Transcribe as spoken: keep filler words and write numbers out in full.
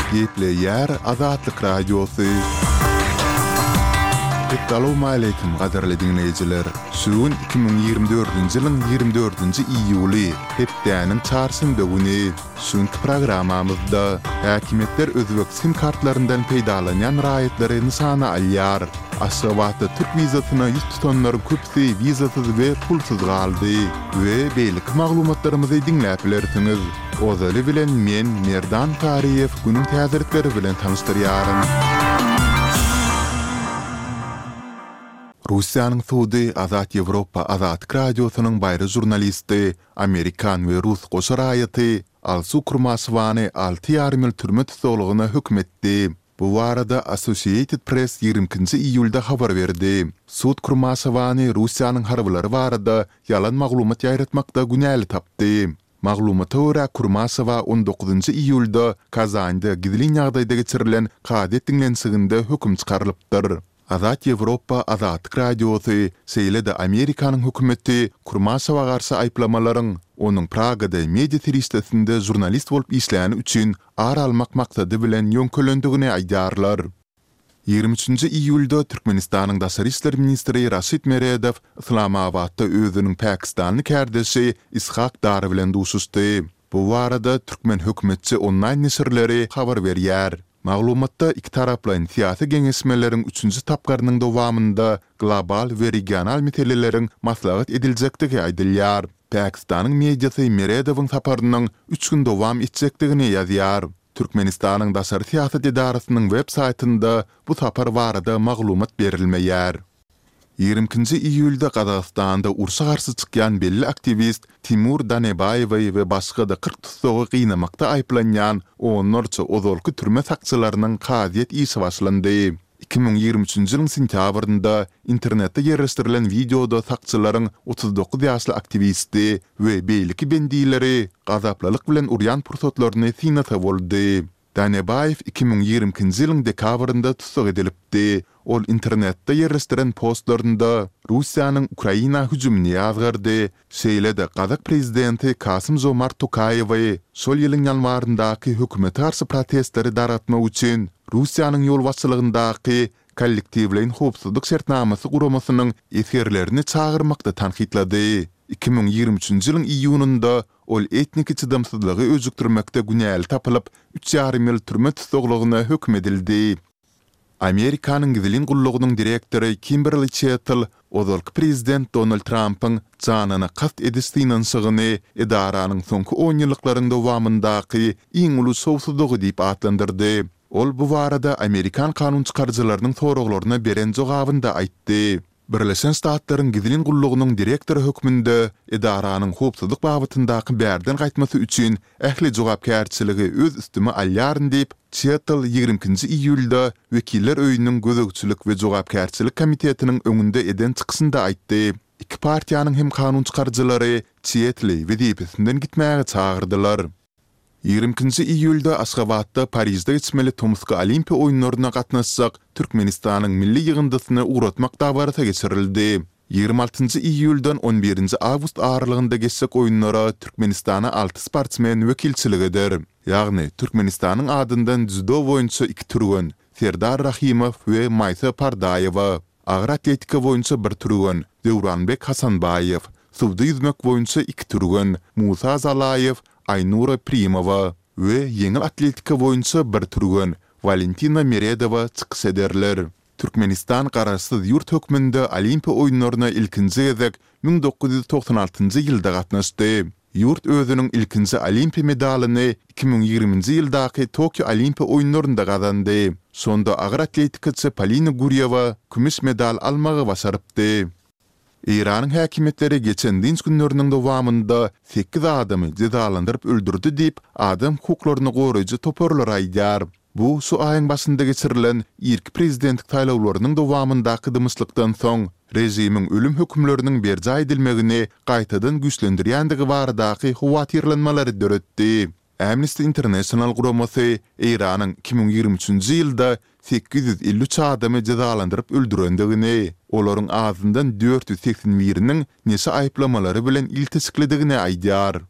Gepleýär Azatlyk Radiosy. Essalawmaleýkim gadyrly diňleýjiler! Şu gün iki müň ýigrimi dördünji ýylyň ýigrimi dördünji iýuly, hepdäniň çarşenbe güni. Şu günki programmamyzda häkimiýetler özbek sim kartlaryndan peýdalanýan raýatlary nyşana alýar. Aşgabatda türk wizasyna ýüz tutanlaryň köpüsi wizasyz we pulsuz galdy we beýleki maglumatlarymyzy diňläp bilersiňiz. Ozaly bilen men, Merdan Taryýew günüň täzelikleri bilen tanyşdyrýaryn. Russiýanyň sudy Azat Ýewropa Azatlyk Radiosynyň baýry žurnalisti Amerikan we rus goşa raýaty Alsu Kurmaşewany alty ýarym ýyl türme tussaglygyna höküm etdi. Bu barada Associated Press ýigrimi ikinji iýulda habar berdi. Sud Kurmaşewany Russiýanyň harbylary barada ýalan maglumat ýaýratmakda günäli tapdy. Maglumata görä, Kurmaşewa on dokuzynjy iýulda Kazanda gizlin ýagdaýda geçirilen kazyýet diňlenişiginde höküm çykarylypdyr. Azat Ýewropa, Azatlyk Radiosy, şeýle-de Amerikanyň hökümeti Kurmaşewa garşy aýyplamalaryň onuň Pragada media serişdesinde žurnalist bolup işläni üçin ar almak maksady bilen ýöňkelendigini aýdýarlar. Ýigrimi üçünji iýulda Türkmenistanyň daşary işler ministri Raşid Meredow Yslamabatda özüniň pakistanly kärdeşi Ishak Dar bilen duşuşdy. Bu barada türkmen hökümetçi onlaýn neşirleri habar berýär. Maglumatda ikitaraplaýyn syýasy geňeşmeleriň üçünji tapgyrynyň dowamynda global we regional meseleleriň maslahat ediljekdigi aýdylýar. Pakistanyň mediasy Meredowyň saparynyň üç gün dowam etjekdigini ýazýar. Türkmenistanyň daşary syýasat edarasynyň web saýtynda bu sapar barada maglumat berilmeýär. Ýigrimi ikinji iýulda Gazagystanda urşa garşy çykýan belli aktiwist Timur Danebaýewi we başga-da kyrk tussagy gynamakda aýyplanýan onlarça ozalky türme sakçylarynyň kazyýet işi başlandy. Iki müň ýigrimi üçünji ýylyň sentýabrynda internetde ýerleşdirilen wideoda sakçylaryň otuz dokuz ýaşly aktiwisti we beýleki bendileri gazaplylyk bilen urýan pursatlaryny synlasa boldy. Danebaýew iki müň ýigrimi ikinji ýylyň dekabrynda tussag edilipdi. Ol internetde ýerleşdiren postlarynda Russiýanyň Ukraina hüjümini ýazgardy, şeýle-de gazak prezidenti Kasym-Žomart Tokaýewi şol ýylyň ýanwaryndaky hökümete garşy protestleri dargatmak üçin Russiýanyň ýolbaşçylygyndaky Kollektiwleýin howpsuzlyk şertnamasy guramasynyň esgerlerini çagyrmakda tankytlady. Iki müň ýigrimi üçünji ýylyň iýunynda Ol etniki çydamsyzlygy öjükdirmekde günäli tapylyp, üç ýarym ýyl türme tussaglygyna höküm edildi. Amerikanyň gizlin gullugynyň direktory Kimberli Çettl ozalky prezident Donald Trampyň janyna kast ediş synanyşygyny edaranyň soňky onýyllyklaryň dowamyndaky iň uly şowsuzlygy diýip atlandyrdy. Ol bu barada amerikan kanunçykaryjylarynyň soraglaryna beren jogabynda aýtdy. Birleşen Ştatlaryň gizlin gullugynyň direktory hökmünde edaranyň howpsuzlyk babatyndaky bärden gaýtmasy üçin ähli jogapkärçiligi öz üstüme alýaryn diýip, Çettl ýigrimi ikinji iýulda Wekiller öýüniň Gözegçilik we jogapkärçilik komitetiniň öňünde eden çykyşynda aýtdy. Iki partiýanyň hem kanunçykaryjylary Çettli wezipesinden gitmäge çagyrdylar. Ýigrimi ikinji iýulda Aşgabatda Parižde geçmeli tomusky Olimpiýa oýunlaryna gatnaşjak Türkmenistanyň milli ýygyndysyny ugratmak dabarasy geçirildi. Ýigrimi altynjy iýuldan on birinji awgust aralygynda geçjek oýunlara Türkmenistana alty sportsmen wekilçilik eder. Ýagny, Türkmenistanyň adyndan dzýudo boýunça iki türgen, Serdar Rahymow we Maýsa Pardaýewa. Agyr atletika boýunça bir türgen, Döwranbek Hasanbaýew, suwda ýüzmek boýunça iki türgen, Musa Zalaýew, Aýnura Primowa we ýeňil atletika boýunça bir türgen, Walentina Meredowa çykyş ederler. Türkmenistan garaşsyz ýurt hökmünde Olimpiýa oýunlaryna ilkinji gezek müň dokuz ýüz togsan altynjy ýylda gatnaşdy. Ýurt özüniň ilkinji olimpiýa medalyny iki müň ýigriminji ýyldaky Tokio Olimpiýa oýunlarynda gazandy. Şonda agyr atletikaçy Polina Gurýewa kümüş medal almagy başarypdy. Eýranyň häkimiýetleri geçen dynç günleriniň dowamynda sekiz adamy jezalandyryp öldürdi diýip, adam hukuklaryny goraýjy toparlar aýdýar. Bu şu aýyň başynda geçirilen irki prezidentlik saýlawlarynyň dowamyndaky dymyşlykdan soň, režimiň ölüm hökümleriniň berjaý edilmegini gaýtadan güýçlendirýändigi baradaky howatyrlanmalary döretdi. Amnesty International guramasy Eýranyň iki müň ýigrimi üçünji ýylda sekiz ýüz elli üç adamy jezalandyryp öldürendigini, olaryň azyndan dört ýüz segsen biriniň neşe aýyplamalary bilen ilteşiklidigini aýdýar.